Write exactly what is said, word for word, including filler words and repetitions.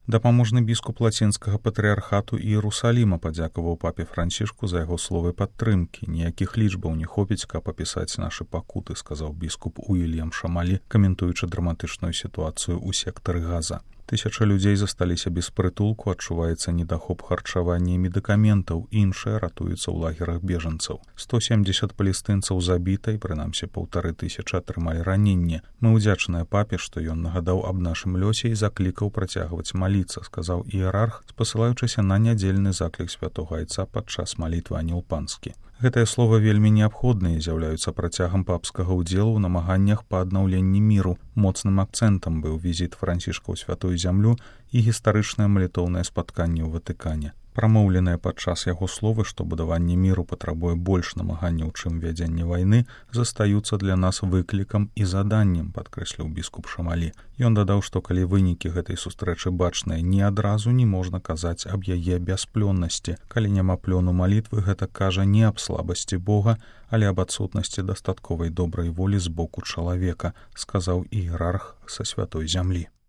Дапаможны біскуп лацінскага патрыархату Іерусаліма падзякаваў папе Францішку за яго словы падтрымкі. Ніякіх лічбаў не хопіць, каб апісаць нашы пакуты, сказаў біскуп Уільям Шамалі, каментуючы драматычную сітуацыю ў сектары Газа. Тысяча людзей засталіся без прытулку, адчуваецца недахоп харчавання і медыкаментаў, іншыя ратуюцца ў лагерах бежанцаў. сто семдзесят палестынцаў забіта і прынамсі паўтары тысячы атрымалі раненне. Мы ўдзячныя папе, што ён нагадаў аб нашым лёсе і заклікаў працягваць маліцца, сказаў іерарх, спасылаючыся на нядзельны заклік святога айца падчас малітвы анёл панскі. Гэтыя словы вельмі неабходныя, з'яўляюцца працягам папскага ўдзелу ў намаганнях па аднаўленні міру. Моцным акцэнтам быў візіт Францішка ў святую зямлю і гістарычнае малітоўнае спатканне ў Ватыкане. Прамоўленыя падчас яго словы, што будаванне міру патрабуе больш намаганняў, чым вядзенне вайны, застаюцца для нас выклікам і заданнем, падкрэсліў біскуп Шамалі. Ён дадаў, што калі вынікі гэтай сустрэчы бачныя, ні адразу не можна казаць аб яе бясплённасці. Калі няма плёну малітвы, гэта кажа не аб слабасці Бога, але аб адсутнасці дастатковай добрай волі з боку чалавека, сказаў іерарх са святой зямлі.